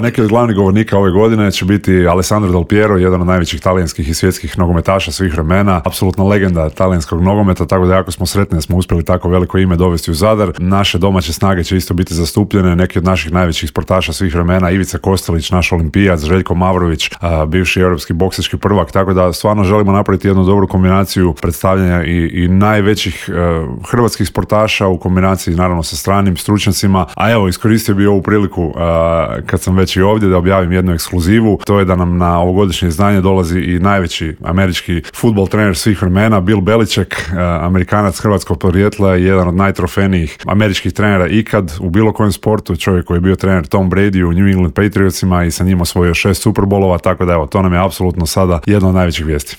Neki od glavnih govornika ove godine će biti Alessandro Del Piero, jedan od najvećih talijanskih i svjetskih nogometaša svih vremena, apsolutna legenda talijanskog nogometa, tako da jako smo sretni da smo uspjeli tako veliko ime dovesti u Zadar. Naše domaće snage će isto biti zastupljene, neki od naših najvećih sportaša svih vremena, Ivica Kostelić, naš olimpijac, Željko Mavrović, bivši europski boksački prvak, tako da stvarno želimo napraviti jednu dobru kombinaciju predstavljanja i najvećih hrvatskih sportaša u kombinaciji naravno sa stranim stručnjacima. A evo, iskoristio bi ovu priliku kad sam već i ovdje da objavim jednu ekskluzivu. To je da nam na ovogodišnje izdanje dolazi i najveći američki fudbal trener svih vremena, Bill Belichick, Amerikanac hrvatskog podrijetla i jedan od najtrofejnijih američkih trenera ikad u bilo kojem sportu, čovjek koji je bio trener Tom Brady u New England Patriotsima i sa njim osvojio 6 Super Bowlova, tako da evo, to nam je apsolutno sada jedna od najvećih vijesti.